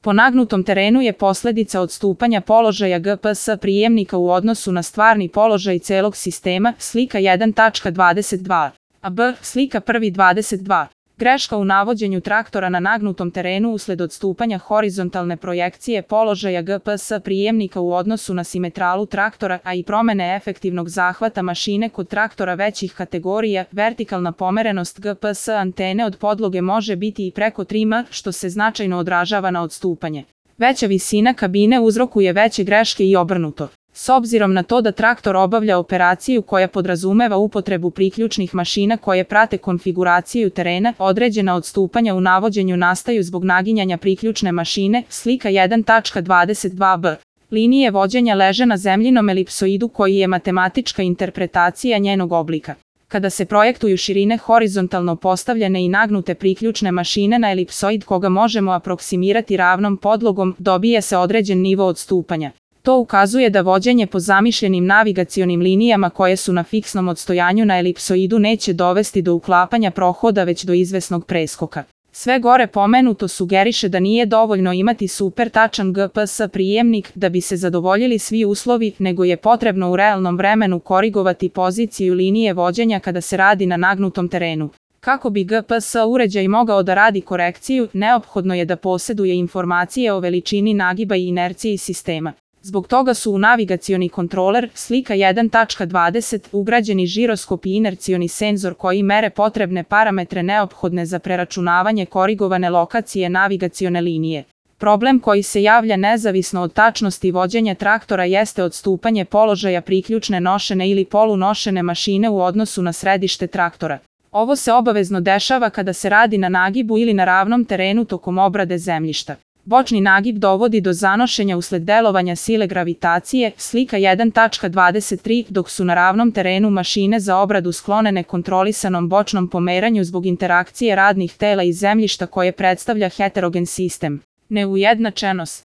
Po nagnutom terenu je posljedica odstupanja položaja GPS prijemnika u odnosu na stvarni položaj celog sistema, slika 1.22, a B, slika 1.22. Greška u navođenju traktora na nagnutom terenu usled odstupanja horizontalne projekcije položaja GPS prijemnika u odnosu na simetralu traktora, a i promene efektivnog zahvata mašine kod traktora većih kategorija. Vertikalna pomerenost GPS antene od podloge može biti i preko 3 m, što se značajno odražava na odstupanje. Veća visina kabine uzrokuje veće greške i obrnuto. S obzirom na to da traktor obavlja operaciju koja podrazumeva upotrebu priključnih mašina koje prate konfiguraciju terena, određena odstupanja u navođenju nastaju zbog naginjanja priključne mašine, slika 1.22b. Linije vođenja leže na zemljinom elipsoidu koji je matematička interpretacija njenog oblika. Kada se projektuju širine horizontalno postavljene i nagnute priključne mašine na elipsoid koga možemo aproksimirati ravnom podlogom, dobije se određen nivo odstupanja. To ukazuje da vođenje po zamišljenim navigacionim linijama koje su na fiksnom odstojanju na elipsoidu neće dovesti do uklapanja prohoda već do izvesnog preskoka. Sve gore pomenuto sugeriše da nije dovoljno imati super tačan GPS prijemnik da bi se zadovoljili svi uslovi, nego je potrebno u realnom vremenu korigovati poziciju linije vođenja kada se radi na nagnutom terenu. Kako bi GPS uređaj mogao da radi korekciju, neophodno je da posjeduje informacije o veličini nagiba i inerciji sistema. Zbog toga su u navigacioni kontroler, slika 1.20, ugrađeni žiroskop i inercioni senzor koji mere potrebne parametre neophodne za preračunavanje korigovane lokacije navigacione linije. Problem koji se javlja nezavisno od tačnosti vođenja traktora jeste odstupanje položaja priključne nošene ili polunošene mašine u odnosu na središte traktora. Ovo se obavezno dešava kada se radi na nagibu ili na ravnom terenu tokom obrade zemljišta. Bočni nagib dovodi do zanošenja usled delovanja sile gravitacije, slika 1.23, dok su na ravnom terenu mašine za obradu sklonene kontrolisanom bočnom pomeranju zbog interakcije radnih tela i zemljišta koje predstavlja heterogen sistem. Neujednačenost.